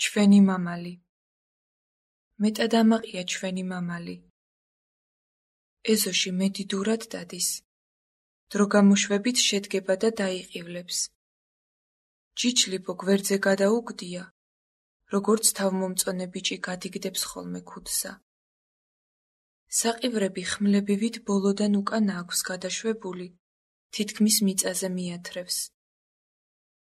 ჩვენი მამალი. მეტად ამაყია ჩვენი მამალი. ეზოში მედიდურად დადის. დრო გამოშვებით შედგება და დაიყივლებს. ჯიჯლიბო გვერდზე გადაუგდია, როგორც თავმომწონე ბიჭი გადიგდებს ხოლმე ქუდსა. საყივრები ხმლებივით ბოლოდან უკან აქვს გადაშვებული, თითქმის მიწაზე მიათრევს.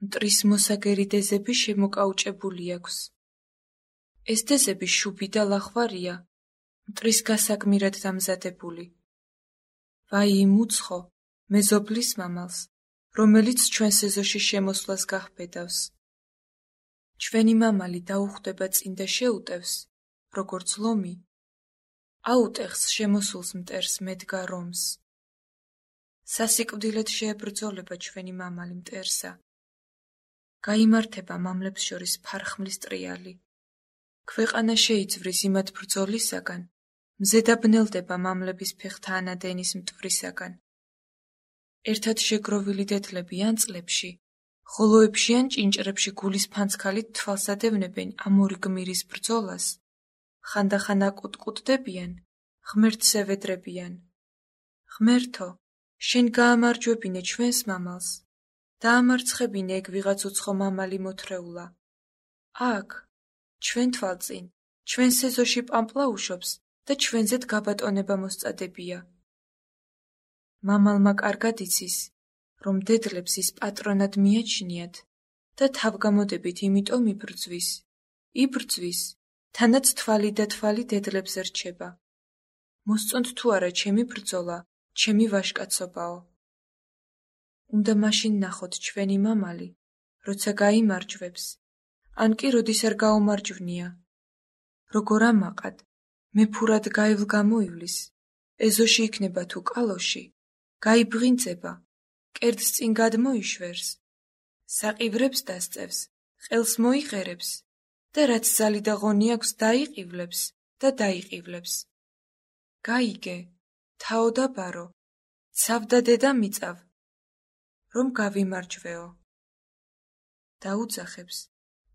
მტრის მოსაგერი დეზები შემოკაუჭებული აქვს. ეს დეზები შუბი და ლახვარია, მტრის გასაგმირად დამზადებული. ვაი უცხო, მეზობლის მამალს, რომელიც ჩვენს ეზოში შემოსვლას გაჰბედავს. ჩვენი მამალი დაუხვდება წინ და შეუტევს, როგორც ლომი, აუტეხს შემოსულს მტერს მედგა რომს. სასიკვდილად შეებრძოლება ჩვენი მამალი მტერსა. გაიმართება მამლებს შორის ფარხმლის ტრიალი. ქვეყანა შეიძვრის იმათ ბრძოლისაგან, მზე დაბნელდება მამლების ფეხთა ანადენის მტვრისაგან. ერთად შეგროვილი დედლები ან წლებში, ხოლოებში ან ჭინჭრებში გულის ფანცქალით თვალსადევნებენ ამ ორი გმირის ბრძოლას. ხანდახან აკუტკუტდებიან, ღმერთს ევედრებიან. ღმერთო, შენ გაამარჯვებინე ჩვენს მამალს, დაამარცხებინე ეგ ვიღაც უცხო მამალი მოთრეულა. აქ, ჩვენ თვალწინ, ჩვენს ეზოში პამპლაუშობს და ჩვენზეც გაბატონება მოსწადებია. მამალმა კარგად იცის, რომ დედლებს ის პატრონად მიაჩნიათ და თავგამოდებით იმიტომ იბრძვის, თანაც თვალი და თვალი დედლებს რჩება. მოსწონთ თუ არა ჩემი ბრძოლა, ჩემი ვაჟკაცობაო. უნდა მაშინ ნახოთ ჩვენი მამალი, როცა გაიმარჯვებს, ან კი როდის არ გაუმარჯვნია. როგორ ამაყად, მეფურად გაივლ გამოივლის, ეზოში იქნება თუ კალოში, გაიბრინწება, კერძს წინ გადმოიშვერს, საყივრებს დასწევს, ყელს მოიყერებს და რაც ზალი და ღონი აქვს დაიყივლებს და დაიყივლებს. გაიგე, თაო და ბარო, ცავ და დედა მიწავ, რომ გავიმარჯვეო. დაუძახებს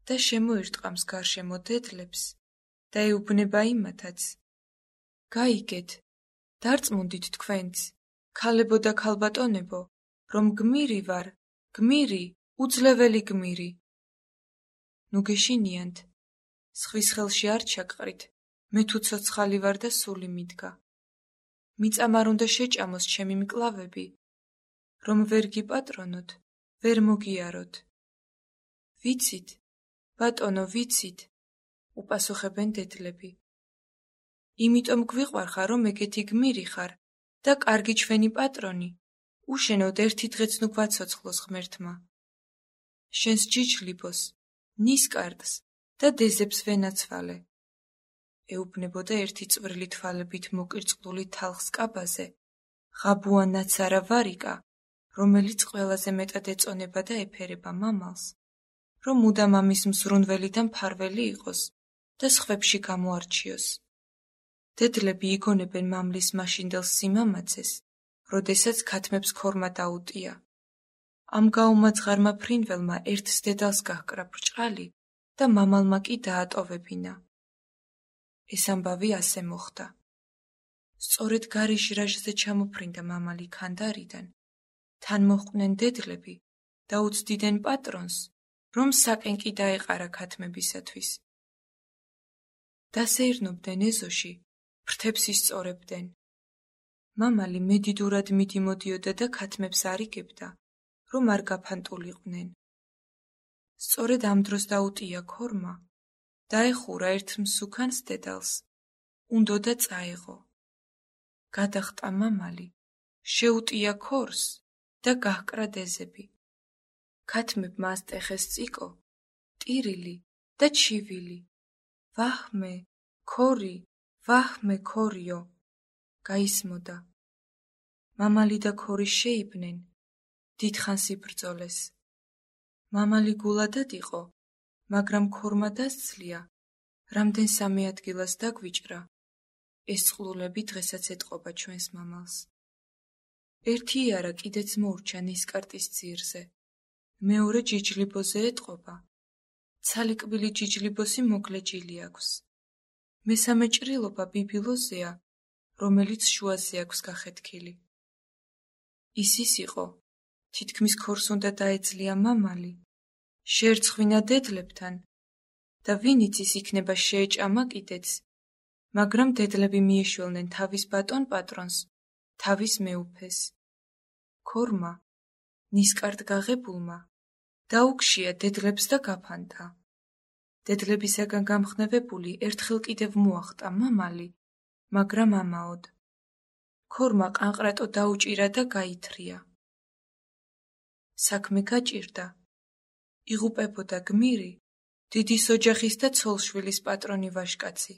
და შემოირტყამს გარშემო დედლებს და ეუბნება იმათაც. გაიგეთ, დარწმუნდით თქვენც, ქალებო და ქალბატონებო, რომ გმირი ვარ, გმირი, უძლეველი გმირი. ნუ გეშინიანთ, სხვის ხელში არ ჩაგყრით, მე თუ ცოცხალი ვარ და სული მიდგა. მიწამ არ უნდა შეჭამოს ჩემი მკლავები, რომ ვერ გიპატრონოთ, ვერ მოგიაროთ. ვიცით, ბატონო, ვიცით, უპასუხებენ დედლები. იმიტომ გვიყვარხარ, რომ ეგეთი გმირი ხარ და კარგი ჩვენი პატრონი, უშენოდ ერთი დღეც ნუ გვაცოცხლოს ღმერთმა. შენს ჯიჯლიბოს, ნისკარტს და დეზებს ვენაცვალე. ეუბნებოდა ერთი წვრილი თვალებით მოკირწყლული თალხს კაბაზე, ღაბუა ნაცარა ვარიკა, რომელიც ყველაზე მეტად ეწონება და ეფერება მამალს, რომ მუდამ ამის მზრუნველი და მფარველი იყოს და სხვებში გამოარჩიოს. დედლები იგონებენ მამლის მაშინდელ სიმამაცეს, როდესაც ქათმებს ქორმა დაუტია. ამ გაუმაძღარმა ფრინველმა ერთს დედალს გაჰკრა ბრჭყალი და მამალმა კი დაატოვებინა. ეს ამბავი ასე მოხდა. სწორედ გარიშ-რაჟზე ჩამოფრინდა მამალი ქანდარიდან. თან მოჰყვნენ დედლები და უცდიდნენ პატრონს, რომ საკენკი დაეყარა ქათმებისათვის. დასეირნობდნენ ეზოში, ფრთებს ისწორებდნენ. მამალი მედიდურად მიდიმოდიოდა და ქათმებს არიგებდა, რომ არ გაფანტულიყვნენ. სწორედ ამ დროს დაუტია ქორმა, დაეხურა ერთ მსუქანს დედალს, უნდოდა წაეღო. გადახტა მამალი, შეუტია ქორს და გაჰკრა დეზები. ქათმებმა ასტეხეს წიკო, ტირილი და ჩივილი. ვაჰმე, ქორი, ვაჰმე, ქორიო, გაისმოდა. მამალი და ქორი შეიბნენ, დიდხანს იბრძოლეს. მამალი გულადად იყო, მაგრამ ქორმა დასძლია, რამდენ სამი ადგილას დაგვიჭრა. ეს წყლულები დღესაც ეტყობა ჩვენს მამალს. ერთი იარა კიდეც მოურჩა ნისკარტის ძირზე, მეორე ჯიჯლიბოზე ეტყობა. ცალიკბილი ჯიჯლიბოსი მოგლეჯილი აქვს. მესამე ჭრილობა ბიბილოზეა, რომელიც შუაზე აქვს გახეთქილი. ის იყო, თითქმის ქორს უნდა დაეძლია მამალი, შეერცხვინა დედლებთან და ვინიც ის იქნება შეეჭამა კიდეც, მაგრამ დედლები მიეშველნენ თავის ბატონ პატრონს, თავის მეუფეს. ქორმა, ნისკარტ გაღებულმა, დაუგშია დედლებს და გაფანტა. დედლებისაგან გამხნევებული ერთხელ კიდევ მოახტა მამალი, მაგრამ ამაოდ. ქორმა ყანყრატო დაუჭირა და გაითრია. საქმე გაჭირდა. იღუპებოდა გმირი, დიდის ოჯახის და ცოლშვილის პატრონი ვაჟკაცი.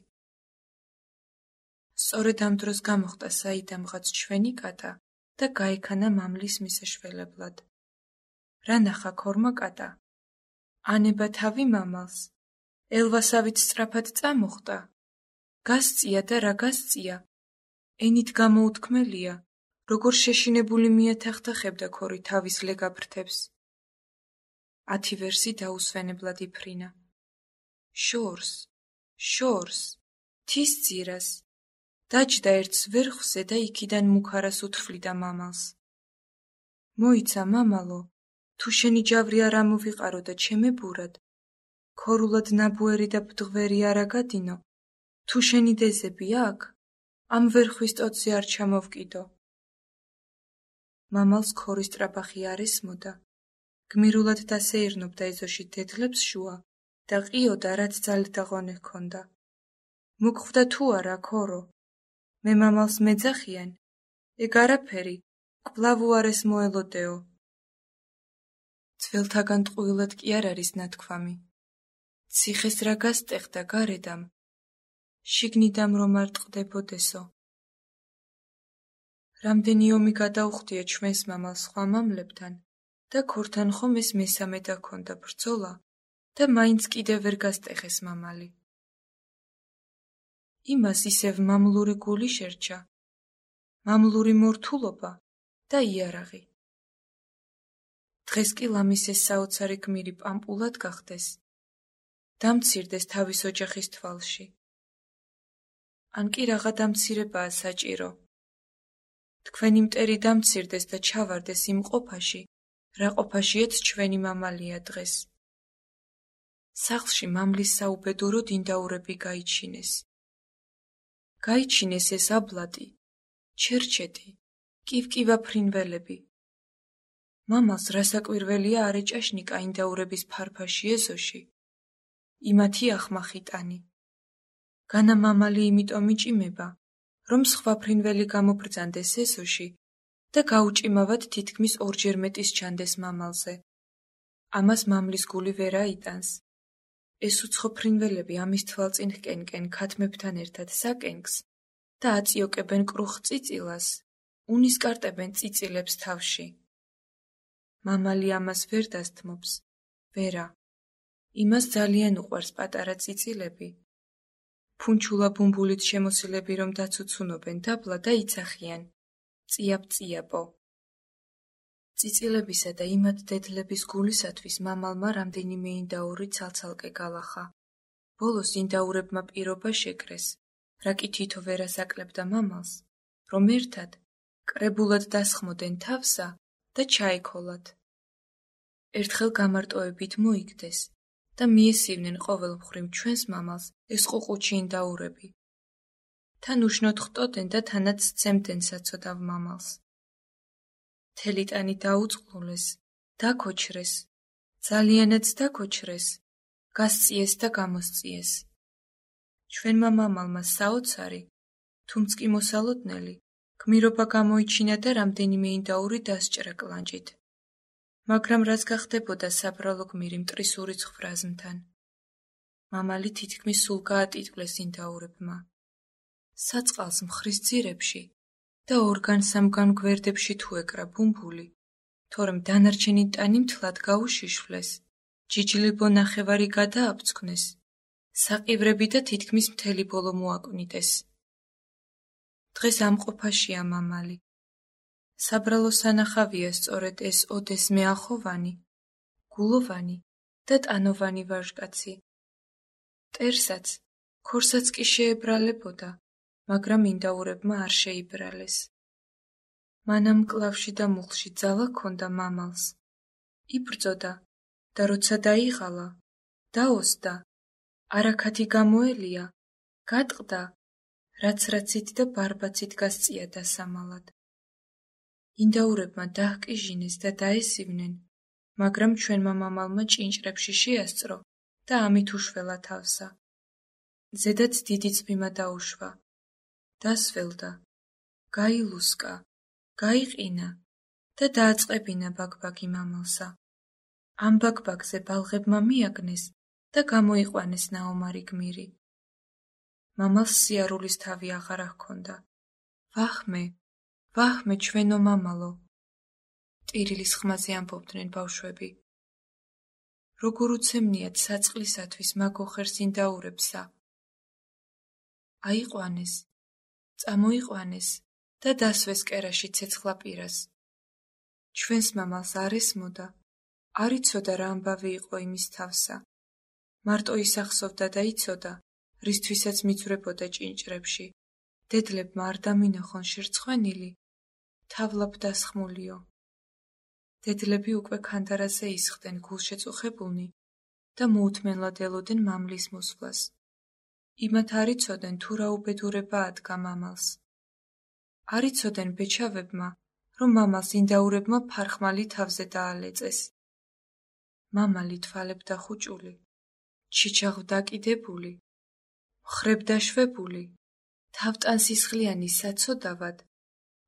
სწორედ ამ დროს გამოხტა საიდამღაც ჩვენი კატა და გაექანა მამლის მისაშველებლად. რა ნახა ქორმა კატა? ანება თავი მამალს, ელვასავით სწრაფად წამოხტა. გასწია და რა გასწია? ენით გამოუთქმელია, როგორ შეშინებული მიათახთახებდა ქორი თავის ლეგაფრთებს. 10 ვერსი დაუსვენებლად იფრინა. შორს, თის ძირას, დაჯდა ერთს ვერხვზე და იქიდან მუქარას უთრფლიდა მამალს. მოიცა მამალო, თუ შენი ჯავრი არ ამოვიყარო და ჩემებურად, ქორულად ნაბუერი და ბდღვერი არ აგადინო, თუ შენი დეზები აქ, ამ ვერხვის ტოტზე არ ჩამოვკიდო. მამალს ქორის ტრაბახი არ ესმოდა. გმირულად დასეირნობდა ეზოში დედლებს შუა და ყიოდა, რაც ძალით დაღონე ჰქონდა. მოგხვდა თუ არა, ქორო? მე მამალს მეძახიან, ეგ არაფერი, კვლავ უარეს მოელოდეო. ძველთაგან ტყუილად კი არ არის ნათქვამი. ციხეს რა გასტეხდა გარედამ, შიგნიდამ რომ არ ტყდებოდესო. რამდენი ომი გადაუხდია ჩვენს მამალს სხვა მამლებთან და ქორთან ხომ ეს მესამე დაქონდა ბრძოლა და მაინც კიდევ ვერ გასტეხეს მამალი. იმას ისევ მამლური გული შერჩა, მამლური მორთულობა და იარაღი. დღეს კი ლამის ეს საოცარი გმირი პამპულად გახდეს, დამცირდეს თავის ოჯახის თვალში. ან კი რაღა დამცირებაა საჭირო. თქვენი მტერი დამცირდეს და ჩავარდეს იმ ყოფაში, რა ყოფაშიაც ჩვენი მამალია დღეს. სახლში მამლის საუბედუროდ ინდაურები გაიჩინეს. გაიჩინეს ეს აბლატი, ჩერჩეთი, კივკივა ფრინველები. მამალს რასაკვირველია არ ეჭაშნიკა ინდაურების ფარფაში ეზოში. იმათი ახმახიტანი. განა მამალი იმიტომ იჭიმება, რომ სხვა ფრინველი გამობრძანდეს ეზოში და გაუჭიმავად თითქმის ორჯერ მეტის ჩანდეს მამალზე. ამას მამლის გული ვერ აიტანს. ეს უცხო ფრინველები ამის თვალწინ ჰკენკენ ქათმებთან ერთად საკენკს და აწიოკებენ კრუხ წიწილას, უნისკარტებენ წიწილებს თავში. მამალი ამას ვერ დასთმობს, ვერა. იმას ძალიან უყვარს პატარა წიწილები. ფუნჩულა ბუმბულით შემოსილები რომ დაცუცუნობენ დაბლა და იცახიან, წიაპ-წიაპო. წიწილებისა და იმათ დედლების გულისათვის მამალმა რამდენიმე ინდაური ცალცალკე გალახა. ბოლოს ინდაურებმა პირობა შეკრეს, რა კი თითო ვერ ასაკლებდა მამალს, რომ ერთად კრებულად დასხმოდნენ თავსა და ჩაექოლათ. ერთხელ გამარტოებით მოიგდეს და მიესივნენ ყოველ მხრივ ჩვენს მამალს ეს ყუყუჩი ინდაურები. თან უშნოდ ხტოდნენ და თანაც სცემდნენ საცოდავ მამალს. თელიტანი დაუწყლულეს, დაქოჩრეს, ძალიანაც დაქოჩრეს, გასწიეს და გამოსწიეს. ჩვენმა მამალმა საოცარი, თუმც კი მოსალოდნელი, გმირობა გამოიჩინა და რამდენიმე ინდაური დასჭრა კლანჭით. მაგრამ რაც გახდებოდა საბრალო გმირი მტრისური ცხრაზმთან. მამალი თითქმის სულ გაატიტყლეს ინდაურებმა. საწყალს მხრის ძირებში და ორგან-სამგან გვერდებში თუ ეკრა ბუმბული, თორემ დანარჩენი ტანი მთლად გაუშიშვლეს, ჯიჯლიბო ნახევარი გადააბცქნეს, საყივრები და თითქმის მთელი ბოლო მოაკვნიდეს. დღეს ამ ყოფაშია მამალი. საბრალო სანახავია სწორედ ეს ოდესმე ახოვანი, გულოვანი და ტანოვანი ვაჟკაცი. მტერსაც, ქორსაც კი შეებრალებოდა, მაგრამ ინდაურებმა არ შეიბრალეს. მანამ მკლავში და მუხლში ძალა ჰქონდა მამალს. იბრძოდა და როცა დაიღალა, დაოსდა, არაქათი გამოელია, გატყდა, რაც-რაცით და ბარბაცით გასწია დასამალად. ინდაურებმა დაჰკიჟინეს და დაესივნენ, მაგრამ ჩვენმა მამალმა ჭინჭრებში შეასწრო და ამით უშველა თავსა. ზედაც დიდი წვიმა დაუშვა. დასველდა, გაილუსკა, გაიყინა და დააწყებინა ბაგბაგი მამალსა. ამ ბაგბაგზე ბალღებმა მიაგნეს და გამოიყვანეს ნაომარი გმირი. მამალს სიარულის თავი აღარა ჰქონდა. ვახმე, ვახმე ჩვენო მამალო, ტირილის ხმაზე ამბობდნენ ბავშვები. როგორ უცემნიათ საწყლისათვის მაგოხერს ინდაურებსა. აიყვანეს, წამოიყვანეს და დასვეს კერაში ცეცხლა პირას. ჩვენს მამალს არ ესმოდა, არ იცოდა რა ამბავი იყო იმის თავსა. მარტო ისახსოვდა და იცოდა, რისთვისაც მიძვრებოდა ჭინჭრებში. დედლებმა არ დამინახონ შერცხვენილი, თავლაბ დასხმულიო. დედლები უკვე ქანდარაზე ისხდნენ გულშეწუხებულნი და მოუთმენლად ელოდნენ მამლის მოსვლას. იმათ არ იცოდნენ თუ რა უბედურება ადგა მამალს. არ იცოდნენ ბეჩავებმა, რომ მამალს ინდაურებმა ფარხმალი თავზე დაალეწეს. მამალი თვალებდა ხუჭული, ჩიჩაღ დაკიდებული, მხრებ დაშვებული, თავტანსისხლიანი საცოდავად,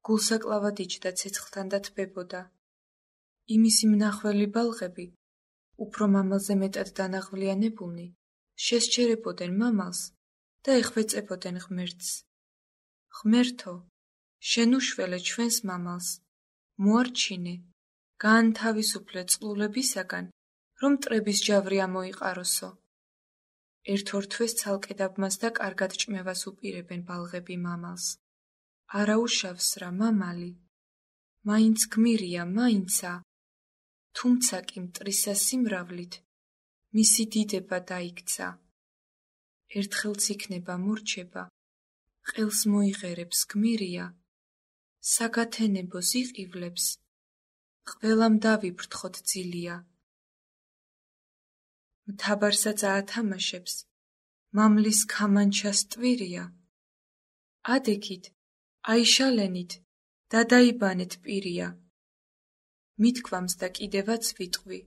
გულსაკლავად იჯდა ცეცხლთან და თბებოდა. იმისი მნახველი ბალღები, უფრო მამალზე მეტად დანაღვლიანებულნი, შესჩერებოდნენ მამალს და ეხვეწებოდნენ ღმერთს. ღმერთო, შენ უშველე ჩვენს მამალს, მოარჩინე, გაანთავისუფლე წყლულებისაგან, რომ მტრების ჯავრი ამოიყაროსო. ერთ-ორ თვეს ცალკე დაბმას და კარგად ჭმევას უპირებენ ბალღები მამალს. არაუშავს რა მამალი, მაინც გმირია, მაინცა, თუმცა კი მტრისა სიმრავლით, მისი დიდება დაიქცა. ერთხელც იქნება მორჩება, ყელს მოიღერებს გმირია, საგათენებოს იყივლებს, ყველამ დავიბრთხოთ ძილია. მთაბარსაც აათამაშებს, მამლის ქამანჩას ტვირია. ადექით, აიშალენით, დადაიბანეთ პირია. მithქვამს და კიდევაც ვიტყვი,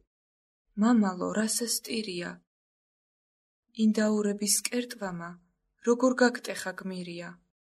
მამალო, რასას ტირია. ინდაურების კერტვამა, როგორ გაგტეხა გმირია.